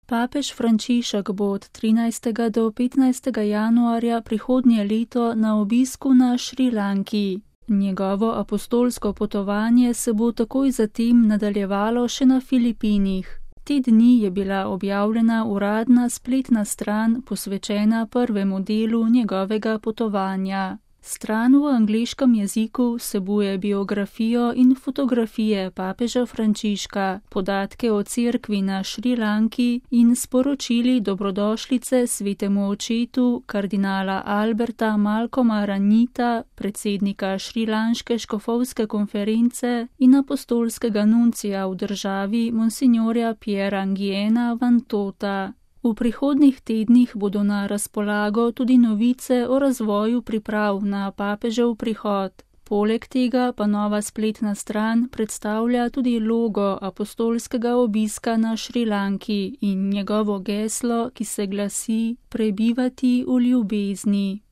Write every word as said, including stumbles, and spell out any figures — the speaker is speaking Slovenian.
Papež Frančišek bo od trinajstega do petnajstega januarja prihodnje leto na obisku na Šrilanki. Njegovo apostolsko potovanje se bo takoj zatem nadaljevalo še na Filipinih. Te dni je bila objavljena uradna spletna stran posvečena prvemu delu njegovega potovanja. Stran v angleškem jeziku vsebuje biografijo in fotografije papeža Frančiška, podatke o cerkvi na Šrilanki in sporočili dobrodošlice svetemu očetu kardinala Alberta Malcolma Ranjita, predsednika šrilanške škofovske konference in apostolskega nuncija v državi monsignorja Piera Nguiena Vantota. V prihodnjih tednih bodo na razpolago tudi novice o razvoju priprav na papežev prihod. Poleg tega pa nova spletna stran predstavlja tudi logo apostolskega obiska na Šrilanki in njegovo geslo, ki se glasi: prebivati v ljubezni.